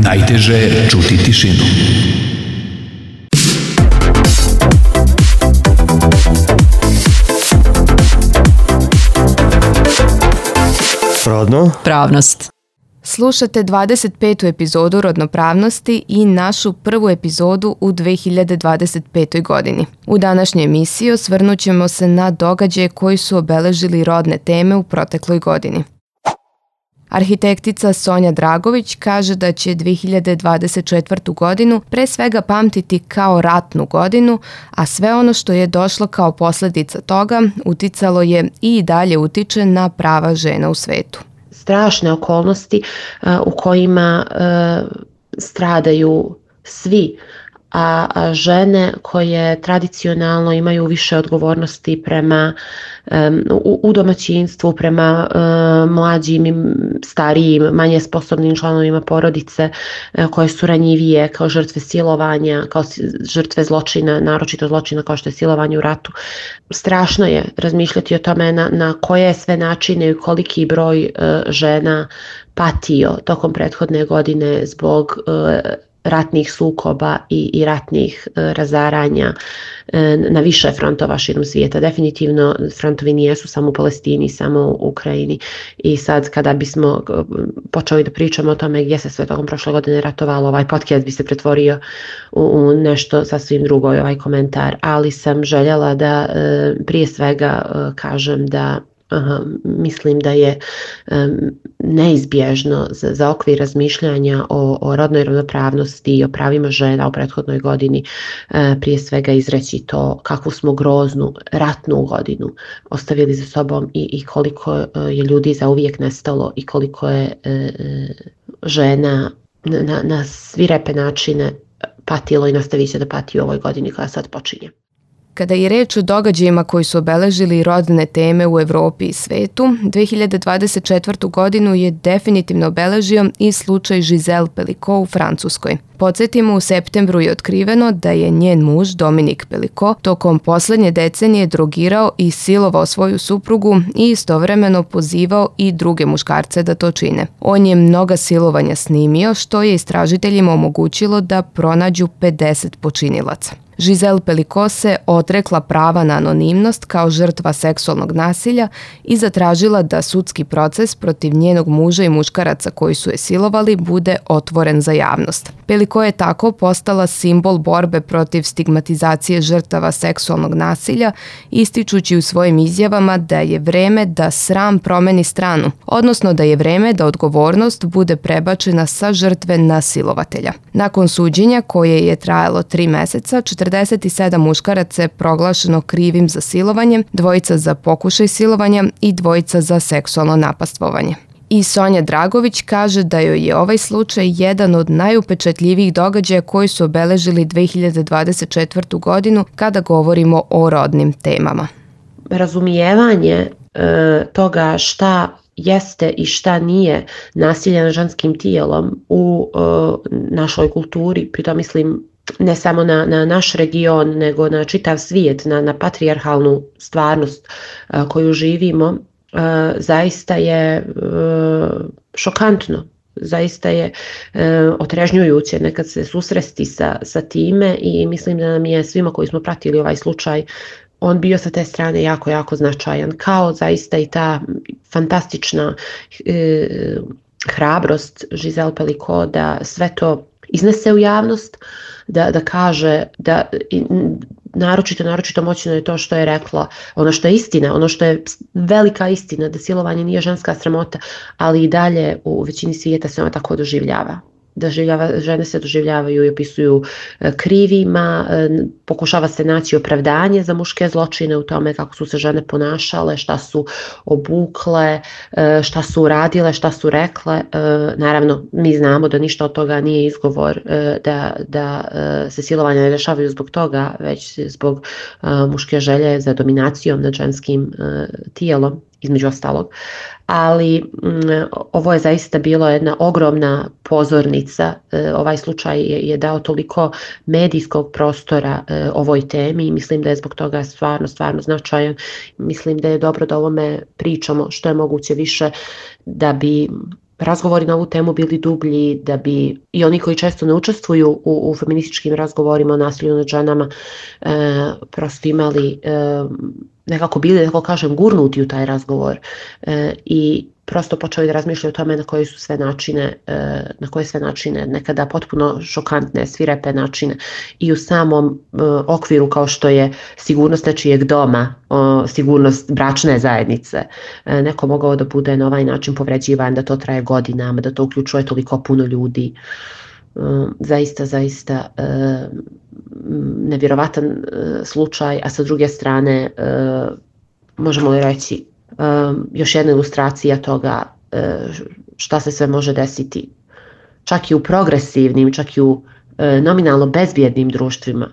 Najteže je čuti tišinu. Rodno? Pravnost. Slušate 25. epizodu Rodnopravnosti i našu prvu epizodu u 2025. godini. U današnjoj emisiji osvrnut ćemo se na događaje koji su obeležili rodne teme u protekloj godini. Arhitektica Sonja Dragović kaže da će 2024. godinu pre svega pamtiti kao ratnu godinu, a sve ono što je došlo kao posljedica toga uticalo je i dalje utiče na prava žena u svetu. Strašne okolnosti u kojima stradaju svi, a žene koje tradicionalno imaju više odgovornosti prema u domaćinstvu, prema mlađim, starijim, manje sposobnim članovima porodice, koje su ranjivije kao žrtve silovanja, kao žrtve zločina, naročito zločina kao što je silovanje u ratu. Strašno je razmišljati o tome na koje sve načine i koliki broj žena patio tokom prethodne godine zbog ratnih sukoba i ratnih razaranja na više frontova širom svijeta. Definitivno frontovi nijesu samo u Palestini, samo u Ukrajini. I sad kada bismo počeli da pričamo o tome gdje se sve tokom prošle godine ratovalo, ovaj podcast bi se pretvorio u nešto sasvim drugo, ovaj komentar. Ali sam željela da prije svega kažem da mislim da je neizbježno za okvir razmišljanja o rodnoj ravnopravnosti i o pravima žena u prethodnoj godini prije svega izreći to kakvu smo groznu ratnu godinu ostavili za sobom i koliko je ljudi zauvijek nestalo i koliko je žena na svirepe načine patilo i nastavit će da pati u ovoj godini koja sad počinje. Kada je reč o događajima koji su obeležili rodne teme u Evropi i svetu, 2024. godinu je definitivno obeležio i slučaj Giselle Pelicot u Francuskoj. Podsjetimo, u septembru je otkriveno da je njen muž Dominique Pelicot tokom posljednje decenije drogirao i silovao svoju suprugu i istovremeno pozivao i druge muškarce da to čine. On je mnoga silovanja snimio, što je istražiteljima omogućilo da pronađu 50 počinilaca. Giselle Pelicot se odrekla prava na anonimnost kao žrtva seksualnog nasilja i zatražila da sudski proces protiv njenog muža i muškaraca koji su je silovali bude otvoren za javnost. Pelicot je tako postala simbol borbe protiv stigmatizacije žrtava seksualnog nasilja, ističući u svojim izjavama da je vreme da sram promeni stranu, odnosno da je vreme da odgovornost bude prebačena sa žrtve na silovatelja. Nakon suđenja, koje je trajalo 3 meseca, 47 muškaraca je proglašeno krivim za silovanje, 2 za pokušaj silovanja i 2 za seksualno napastvovanje. I Sonja Dragović kaže da joj je ovaj slučaj jedan od najupečatljivijih događaja koji su obeležili 2024. godinu kada govorimo o rodnim temama. Razumijevanje toga šta jeste i šta nije nasilje nad ženskim tijelom u našoj kulturi, pritom mislim ne samo na naš region, nego na čitav svijet, na patrijarhalnu stvarnost koju živimo, zaista je šokantno, zaista je otrežnjujuće nekad se susresti sa time i mislim da nam je svima koji smo pratili ovaj slučaj on bio sa te strane jako, jako značajan, kao zaista i ta fantastična hrabrost Giselle Pelicot da sve to iznese u javnost, da kaže da naročito moćno je to što je rekla, ono što je istina, ono što je velika istina, da silovanje nije ženska sramota, ali i dalje u većini svijeta se ona tako doživljava. Žene se doživljavaju i opisuju krivima, pokušava se naći opravdanje za muške zločine u tome kako su se žene ponašale, šta su obukle, šta su uradile, šta su rekle. Naravno, mi znamo da ništa od toga nije izgovor da se silovanja ne dešavaju zbog toga, već zbog muške želje za dominacijom nad ženskim tijelom, između ostalog. Ali ovo je zaista bilo jedna ogromna pozornica. Ovaj slučaj je dao toliko medijskog prostora ovoj temi i mislim da je zbog toga stvarno značajan. Mislim da je dobro da o ovome pričamo što je moguće više da bi razgovori na ovu temu bili dublji, da bi i oni koji često ne učestvuju u feminističkim razgovorima o nasilju nad ženama prosto imali, nekako bili, da tako kažem, gurnuti u taj razgovor i prosto počeli da razmišljaju o tome na koje sve načine, nekada potpuno šokantne, svirepe načine i u samom okviru kao što je sigurnost nečijeg doma, sigurnost bračne zajednice, neko mogao da bude na ovaj način povređivan, da to traje godinama, da to uključuje toliko puno ljudi. Zaista nevjerovatan slučaj, a sa druge strane možemo li reći još jedna ilustracija toga šta se sve može desiti čak i u progresivnim, čak i u nominalno bezbjednim društvima.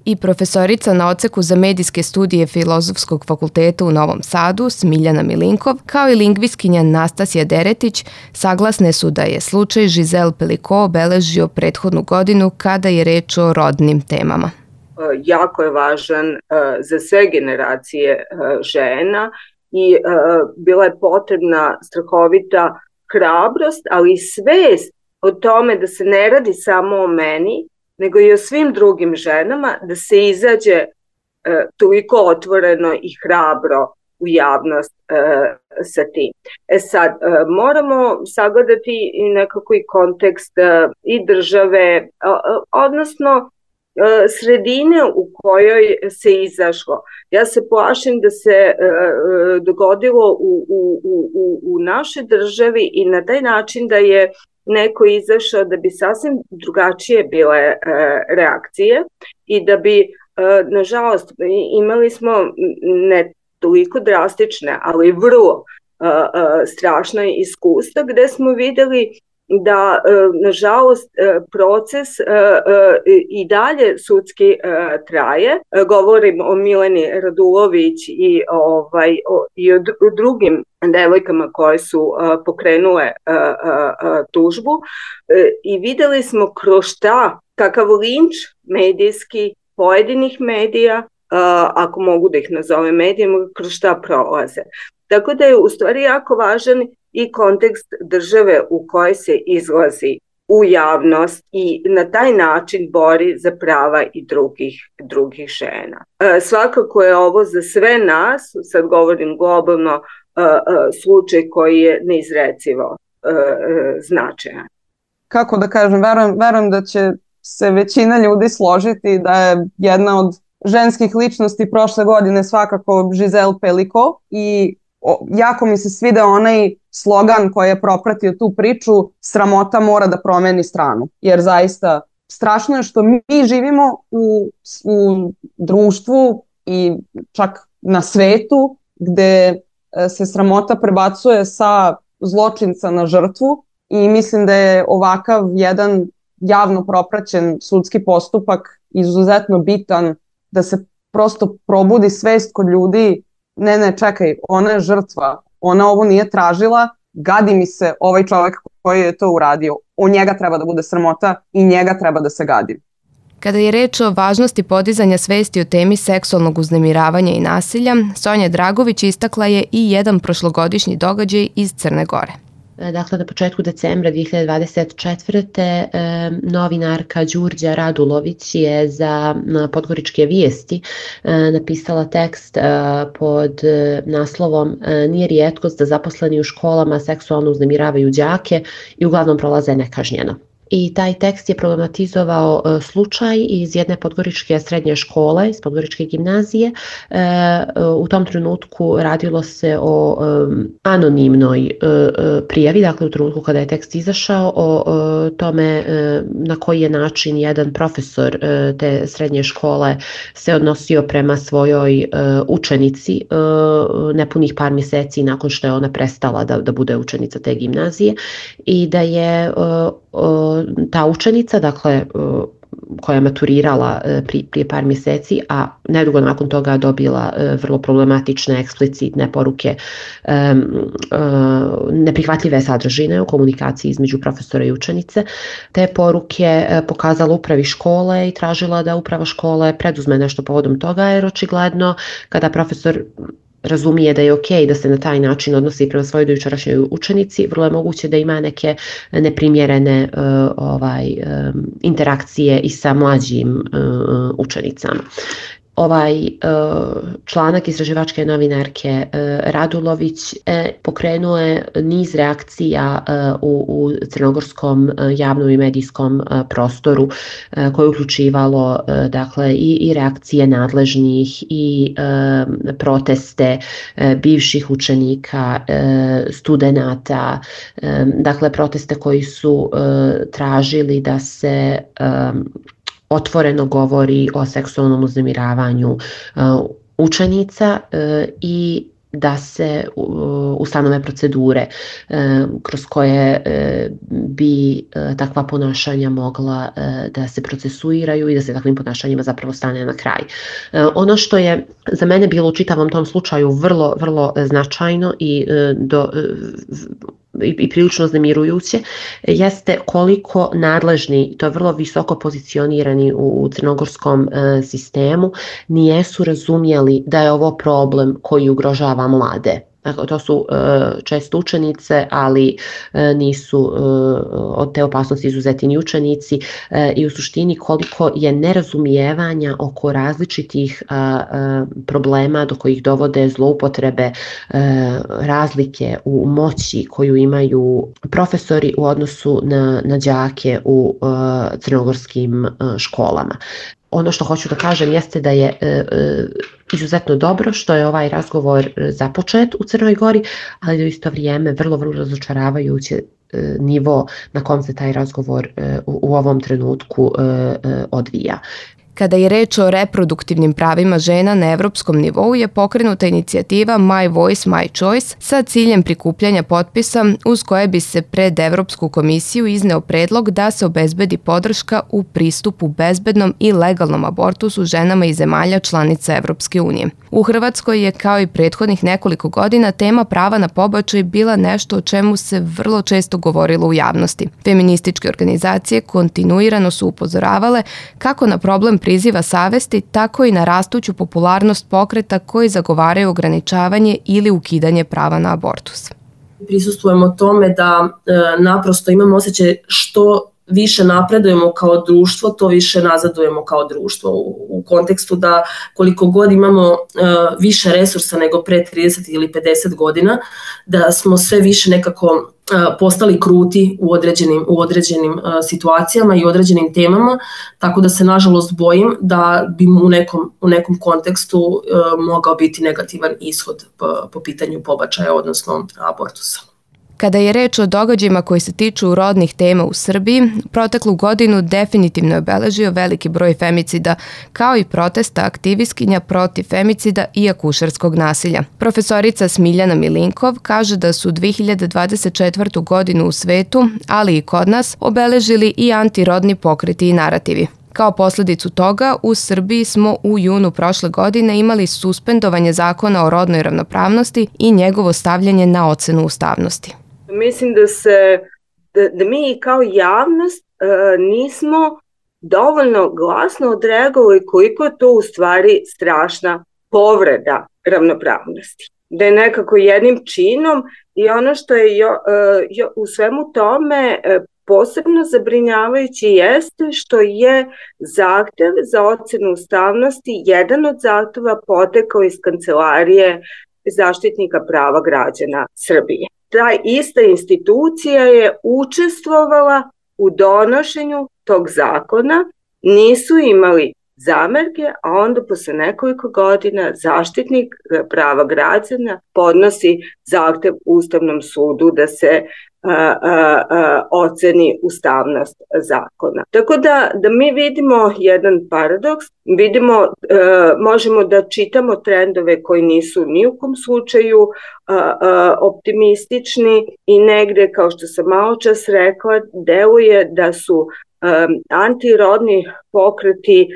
I profesorica na odseku za medijske studije Filozofskog fakulteta u Novom Sadu, Smiljana Milinkov, kao i lingvistkinja Nastasija Deretić, saglasne su da je slučaj Giselle Pelicot obeležio prethodnu godinu kada je reč o rodnim temama. Jako je važan za sve generacije žena i bila je potrebna strahovita hrabrost, ali i svest o tome da se ne radi samo o meni, nego i o svim drugim ženama, da se izađe toliko otvoreno i hrabro u javnost sa tim. Sad, moramo sagledati nekako i kontekst i države, odnosno sredine u kojoj se izašlo. Ja se plašim da se dogodilo u našoj državi i na taj način da je neko izašao da bi sasvim drugačije bile reakcije i da bi, nažalost, imali smo ne toliko drastične, ali vrlo strašna iskustva gde smo videli da, nažalost, proces i dalje sudski traje. Govorim o Mileni Radulović i o drugim devojkama koje su pokrenule tužbu i videli smo kroz šta, kakav linč medijski pojedinih medija, ako mogu da ih nazovem medijima, kroz šta prolaze. Tako da je u stvari jako važan i kontekst države u kojoj se izlazi u javnost i na taj način bori za prava i drugih žena. Svakako je ovo za sve nas, sad govorim globalno, slučaj koji je neizrecivo značajan. Kako da kažem, verujem da će se većina ljudi složiti da je jedna od ženskih ličnosti prošle godine svakako Giselle Pelicot i jako mi se svideo onaj slogan koji je propratio tu priču, sramota mora da promeni stranu. Jer zaista strašno je što mi živimo u društvu i čak na svetu gde se sramota prebacuje sa zločinca na žrtvu i mislim da je ovakav jedan javno propraćen sudski postupak izuzetno bitan da se prosto probudi svest kod ljudi. Ne, čekaj, ona je žrtva, ona ovo nije tražila, gadi mi se ovaj čovjek koji je to uradio, o njega treba da bude sramota i njega treba da se gadi. Kada je reč o važnosti podizanja svesti o temi seksualnog uznemiravanja i nasilja, Sonja Dragović istakla je i jedan prošlogodišnji događaj iz Crne Gore. Dakle, na početku decembra 2024. Novinarka Đurđa Radulović je za Podgoričke vijesti napisala tekst pod naslovom "Nije rijetkost da zaposleni u školama seksualno uznemiravaju đake i uglavnom prolaze nekažnjeno". I taj tekst je problematizovao slučaj iz jedne podgoričke srednje škole, iz podgoričke gimnazije. U tom trenutku radilo se o anonimnoj prijavi, dakle u trenutku kada je tekst izašao, o tome na koji je način jedan profesor te srednje škole se odnosio prema svojoj učenici nepunih par mjeseci nakon što je ona prestala da bude učenica te gimnazije i da je ta učenica, dakle, koja je maturirala prije par mjeseci, a nedugo nakon toga dobila vrlo problematične, eksplicitne poruke, neprihvatljive sadržine u komunikaciji između profesora i učenice. Te poruke pokazala upravi škole i tražila da uprava škole preduzme nešto povodom toga, jer očigledno kada profesor razumije da je ok da se na taj način odnosi prema svojoj dojučerašnjoj učenici, vrlo je moguće da ima neke neprimjerene interakcije i sa mlađim učenicama. Ovaj članak istraživačke novinarke Radulović pokrenuo je niz reakcija u crnogorskom javnom i medijskom prostoru koje je uključivalo dakle i reakcije nadležnih i proteste bivših učenika, studenata, dakle proteste koji su tražili da se otvoreno govori o seksualnom uznemiravanju učenica i da se ustanove procedure kroz koje bi takva ponašanja mogla da se procesuiraju i da se takvim ponašanjima zapravo stane na kraj. Ono što je za mene bilo u čitavom tom slučaju vrlo, vrlo značajno i prilično uznemirujuće jeste koliko nadležni, to je vrlo visoko pozicionirani u crnogorskom sistemu, nijesu razumjeli da je ovo problem koji ugrožava mlade. Dakle, to su često učenice, ali nisu od te opasnosti izuzeti ni učenici i u suštini koliko je nerazumijevanja oko različitih problema do kojih dovode zloupotrebe, razlike u moći koju imaju profesori u odnosu na đake u crnogorskim školama. Ono što hoću da kažem jeste da je izuzetno dobro što je ovaj razgovor započet u Crnoj Gori, ali da u isto vrijeme vrlo, vrlo razočaravajuće nivo na kom se taj razgovor u ovom trenutku odvija. Kada je reč o reproduktivnim pravima žena na evropskom nivou je pokrenuta inicijativa My Voice, My Choice sa ciljem prikupljanja potpisa uz koje bi se pred Evropsku komisiju izneo predlog da se obezbedi podrška u pristupu bezbednom i legalnom abortusu ženama iz zemalja članica Evropske unije. U Hrvatskoj je kao i prethodnih nekoliko godina tema prava na pobačaj bila nešto o čemu se vrlo često govorilo u javnosti. Feminističke organizacije kontinuirano su upozoravale kako na problem priziva savesti, tako i na rastuću popularnost pokreta koji zagovaraju ograničavanje ili ukidanje prava na abortus. Prisustvujemo tome da naprosto imamo osjećaj što više napredujemo kao društvo, to više nazadujemo kao društvo u kontekstu da koliko god imamo više resursa nego pre 30 ili 50 godina, da smo sve više nekako postali kruti u određenim situacijama i određenim temama, tako da se nažalost bojim da bi u nekom kontekstu mogao biti negativan ishod po pitanju pobačaja, odnosno abortusa. Kada je reč o događajima koji se tiču rodnih tema u Srbiji, proteklu godinu definitivno je obeležio veliki broj femicida, kao i protesta aktivistkinja protiv femicida i akušerskog nasilja. Profesorica Smiljana Milinkov kaže da su 2024. godinu u svetu, ali i kod nas, obeležili i antirodni pokreti i narativi. Kao posljedicu toga, u Srbiji smo u junu prošle godine imali suspendovanje zakona o rodnoj ravnopravnosti i njegovo stavljanje na ocenu ustavnosti. Mislim da mi kao javnost nismo dovoljno glasno odreagovali koliko je to u stvari strašna povreda ravnopravnosti. Da je nekako jednim činom i ono što je u svemu tome posebno zabrinjavajući jeste što je zahtev za ocenu ustavnosti jedan od zahteva potekao iz Kancelarije Zaštitnika prava građana Srbije. Ta ista institucija je učestvovala u donošenju tog zakona, nisu imali zamerke, a onda posle nekoliko godina Zaštitnik prava građana podnosi zahtev Ustavnom sudu da se oceni ustavnost zakona. Tako da mi vidimo jedan paradoks, možemo da čitamo trendove koji nisu ni u kom slučaju optimistični i negde, kao što sam malo čas rekla, deluje da su antirodni pokreti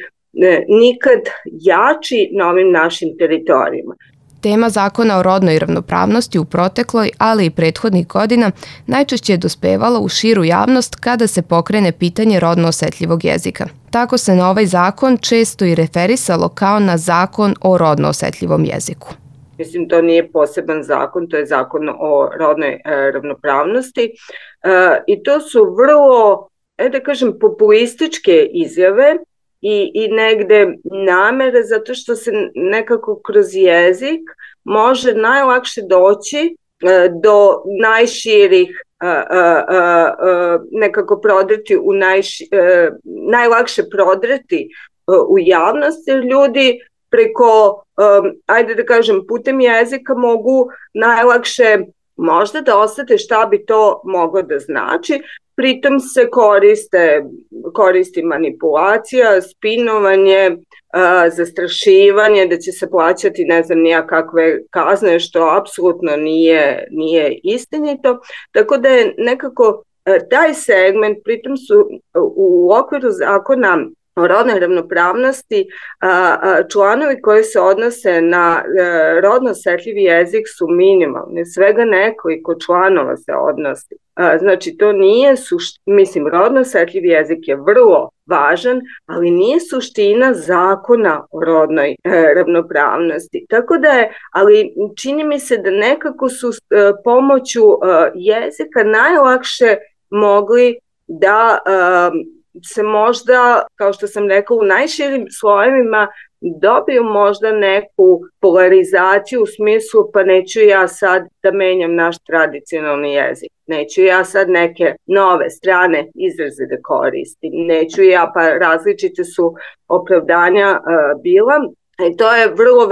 nikad jači na ovim našim teritorijima. Tema zakona o rodnoj ravnopravnosti u protekloj, ali i prethodnih godina najčešće je dospevala u širu javnost kada se pokrene pitanje rodno osetljivog jezika. Tako se na ovaj zakon često i referisalo kao na zakon o rodno osetljivom jeziku. Mislim, to nije poseban zakon, to je zakon o rodnoj ravnopravnosti. I to su vrlo, da kažem, populističke izjave i negde namere, zato što se nekako kroz jezik može najlakše doći do najširih, nekako prodreti najlakše prodreti u javnost, jer ljudi preko, ajde da kažem, putem jezika mogu najlakše možda da osete šta bi to moglo da znači. Pritom se koristi manipulacija, spinovanje, zastrašivanje, da će se plaćati ne znam nija kakve kazne, što apsolutno nije istinito. Tako da je nekako taj segment, pritom su u okviru zakona o rodnoj ravnopravnosti članovi koji se odnose na rodno osetljivi jezik su minimalni, svega nekoliko članova se odnosi. Znači to nije mislim, rodno osetljivi jezik je vrlo važan, ali nije suština zakona o rodnoj ravnopravnosti. Tako da je, ali čini mi se da nekako su pomoću jezika najlakše mogli da se možda, kao što sam rekla, u najširim slojevima dobiju možda neku polarizaciju u smislu pa neću ja sad da menjam naš tradicionalni jezik, neću ja sad neke nove strane izraze da koristim, neću ja, pa različite su opravdanja bila. I to je vrlo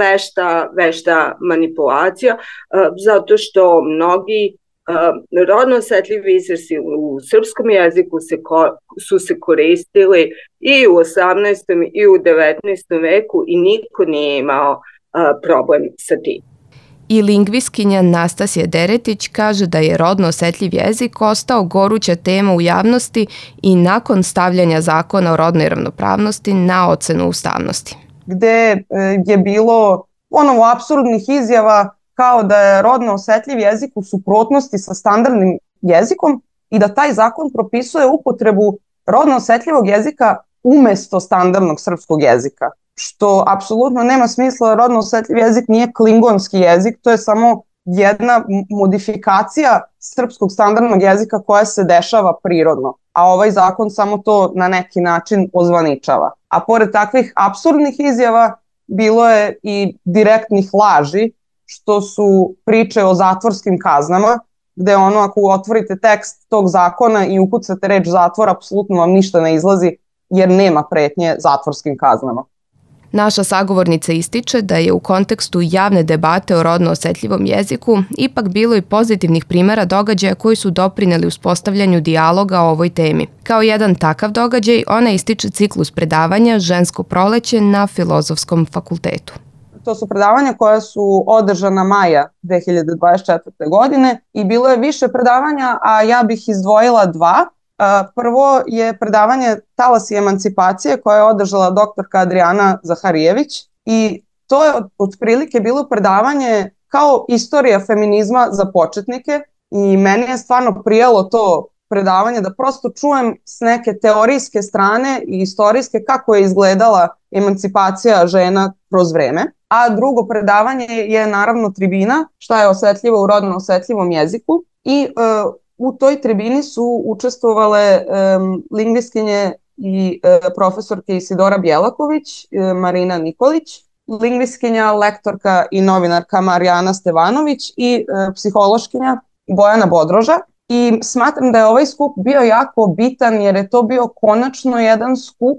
vešta manipulacija, zato što mnogi rodno osetljivi izrazi u srpskom jeziku su se koristili i u 18. i u 19. veku i niko nije imao problem sa tim. I lingvistkinja Nastasija Deretić kaže da je rodno osetljiv jezik ostao goruća tema u javnosti i nakon stavljanja zakona o rodnoj ravnopravnosti na ocenu ustavnosti. Gde je bilo apsurdnih izjava kao da je rodno osetljiv jezik u suprotnosti sa standardnim jezikom i da taj zakon propisuje upotrebu rodno osetljivog jezika umesto standardnog srpskog jezika. Što apsolutno nema smisla, rodno osetljiv jezik nije klingonski jezik, to je samo jedna modifikacija srpskog standardnog jezika koja se dešava prirodno, a ovaj zakon samo to na neki način ozvaničava. A pored takvih apsurdnih izjava bilo je i direktnih laži, što su priče o zatvorskim kaznama, gde ako otvorite tekst tog zakona i ukucate reč zatvor, apsolutno vam ništa ne izlazi jer nema pretnje zatvorskim kaznama. Naša sagovornica ističe da je u kontekstu javne debate o rodno osetljivom jeziku ipak bilo i pozitivnih primera događaja koji su doprineli uspostavljanju dijaloga o ovoj temi. Kao jedan takav događaj, ona ističe ciklus predavanja Žensko proleće na Filozofskom fakultetu. To su predavanja koja su održana maja 2024. godine i bilo je više predavanja, a ja bih izdvojila dva. Prvo je predavanje Talas i emancipacije koje je održala doktorka Adriana Zaharijević i to je otprilike bilo predavanje kao istorija feminizma za početnike i meni je stvarno prijalo to predavanje da prosto čujem s neke teorijske strane i istorijske kako je izgledala emancipacija žena kroz vreme. A drugo predavanje je naravno tribina, šta je osetljivo u rodno osetljivom jeziku i u toj tribini su učestvovale lingvistkinje i profesorke Isidora Bjelaković, Marina Nikolić, lingvistkinja, lektorka i novinarka Marijana Stevanović i psihološkinja Bojana Bodroža. I smatram da je ovaj skup bio jako bitan jer je to bio konačno jedan skup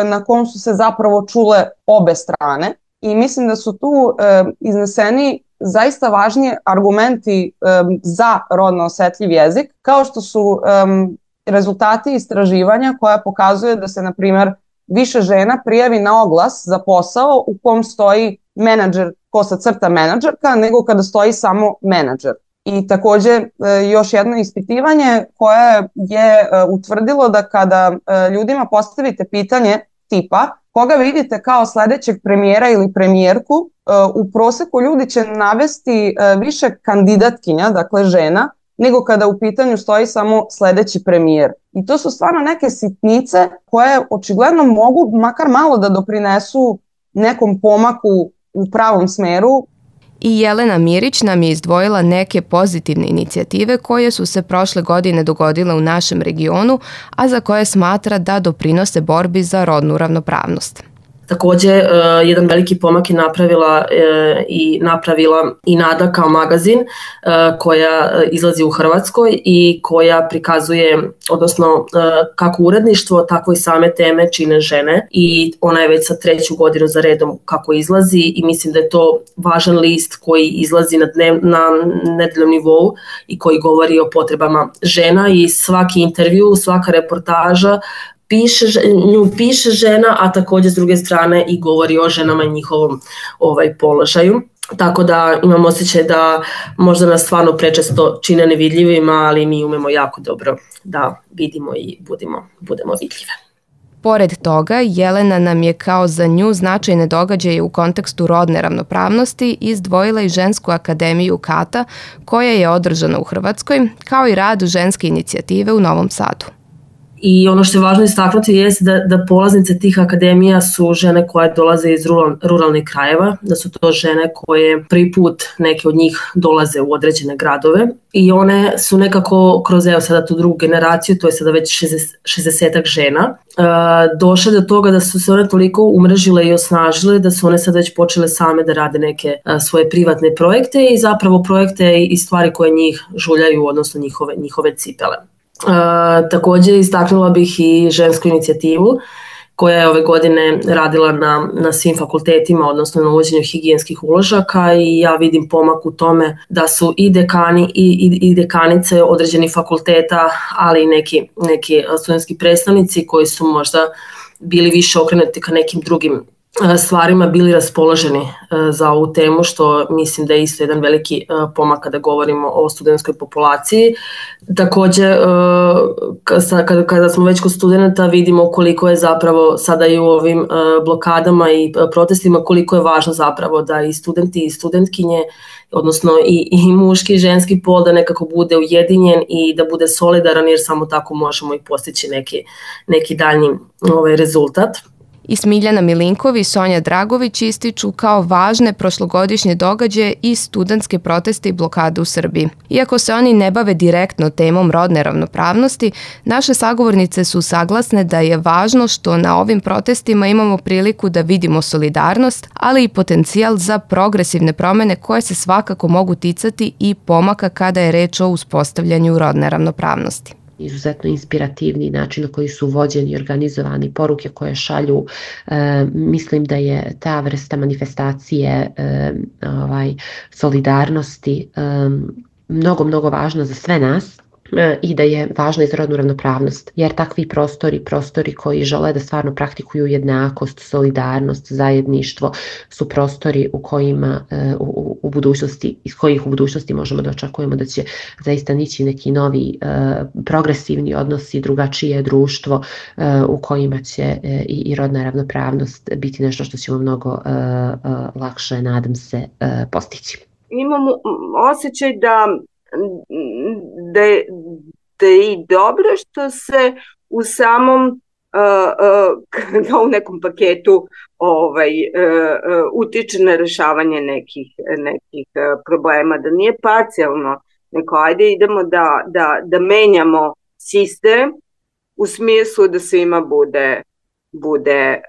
na kom su se zapravo čule obe strane i mislim da su tu izneseni zaista važni argumenti za rodno osetljiv jezik, kao što su rezultati istraživanja koja pokazuje da se, na primjer, više žena prijavi na oglas za posao u kom stoji menadžer, menadžerka, nego kada stoji samo menadžer. I takođe još jedno ispitivanje koje je utvrdilo da kada ljudima postavite pitanje tipa koga vidite kao sledećeg premijera ili premijerku, u proseku ljudi će navesti više kandidatkinja, dakle žena, nego kada u pitanju stoji samo sledeći premijer. I to su stvarno neke sitnice koje očigledno mogu makar malo da doprinesu nekom pomaku u pravom smeru. I Jelena Mirić nam je izdvojila neke pozitivne inicijative koje su se prošle godine dogodile u našem regionu, a za koje smatra da doprinose borbi za rodnu ravnopravnost. Takođe, jedan veliki pomak je napravila i Nada kao magazin koja izlazi u Hrvatskoj i koja prikazuje, odnosno kako uredništvo, tako i same teme čine žene i ona je već sa 3. godinu za redom kako izlazi i mislim da je to važan list koji izlazi na nedeljnom nivou i koji govori o potrebama žena i svaki intervju, svaka reportaža nju piše žena, a takođe s druge strane i govori o ženama i njihovom položaju. Tako da imam osjećaj da možda nas stvarno prečesto čine nevidljivima, ali mi umemo jako dobro da vidimo i budemo vidljive. Pored toga, Jelena nam je kao za nju značajne događaje u kontekstu rodne ravnopravnosti izdvojila i Žensku akademiju Kata, koja je održana u Hrvatskoj, kao i rad ženske inicijative u Novom Sadu. I ono što je važno istaknuti jeste da polaznice tih akademija su žene koje dolaze iz ruralnih krajeva, da su to žene koje prvi put neke od njih dolaze u određene gradove i one su nekako kroz sada tu drugu generaciju, to je sada već 60-ak žena, došle do toga da su se one toliko umrežile i osnažile da su one sad već počele same da rade neke svoje privatne projekte i zapravo projekte i stvari koje njih žuljaju, odnosno njihove cipele. Takođe istaknula bih i žensku inicijativu koja je ove godine radila na svim fakultetima, odnosno na uvođenju higijenskih uložaka i ja vidim pomak u tome da su i dekani i dekanice određenih fakulteta, ali i neki studentski predstavnici koji su možda bili više okrenuti ka nekim drugim stvarima bili raspoloženi za ovu temu, što mislim da je isto jedan veliki pomak kada govorimo o studentskoj populaciji. Takođe, kada smo već kod studenta, vidimo koliko je zapravo sada i u ovim blokadama i protestima, koliko je važno zapravo da i studenti i studentkinje, odnosno i muški i ženski pol da nekako bude ujedinjen i da bude solidaran, jer samo tako možemo i postići neki daljnji rezultat. I Smiljana Milinkov i Sonja Dragović ističu kao važne prošlogodišnje događaje i studentske proteste i blokade u Srbiji. Iako se oni ne bave direktno temom rodne ravnopravnosti, naše sagovornice su saglasne da je važno što na ovim protestima imamo priliku da vidimo solidarnost, ali i potencijal za progresivne promene koje se svakako mogu ticati i pomaka kada je reč o uspostavljanju rodne ravnopravnosti. Izuzetno inspirativni način na koji su vođeni i organizovani, poruke koje šalju. Mislim da je ta vrsta manifestacije solidarnosti mnogo važna za sve nas i da je važna i za rodnu ravnopravnost, jer takvi prostori koji žele da stvarno praktikuju jednakost, solidarnost, zajedništvo su prostori u kojima u budućnosti, iz kojih u budućnosti možemo da očekujemo da će zaista nići neki novi progresivni odnosi, drugačije društvo u kojima će i rodna ravnopravnost biti nešto što ćemo mnogo lakše, nadam se, postići. Imamo osjećaj da je i dobro što se u samom u nekom paketu utiče na rešavanje nekih problema, da nije parcijalno, nego ajde idemo da menjamo sistem u smislu da svima bude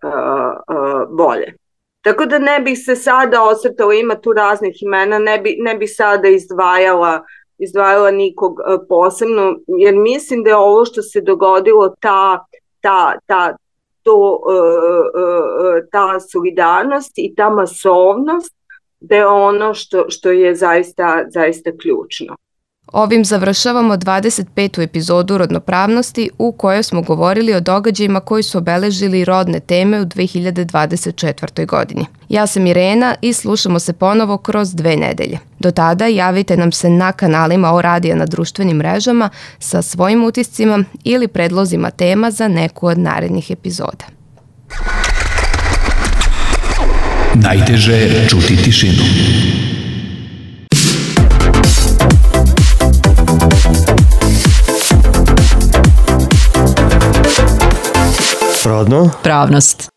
bolje. Tako da ne bih se sada osvrtala, ima tu raznih imena, ne bih sada izdvajala nikog posebno, jer mislim da je ovo što se dogodilo, ta solidarnost i ta masovnost, da je ono što je zaista ključno. Ovim završavamo 25. epizodu Rodnopravnosti u kojoj smo govorili o događajima koji su obeležili rodne teme u 2024. godini. Ja sam Irena i slušamo se ponovo kroz 2 nedelje. Do tada javite nam se na kanalima O Radija na društvenim mrežama sa svojim utiscima ili predlozima tema za neku od narednih epizoda. Najteže je čuti tišinu. Rodno. Pravnost.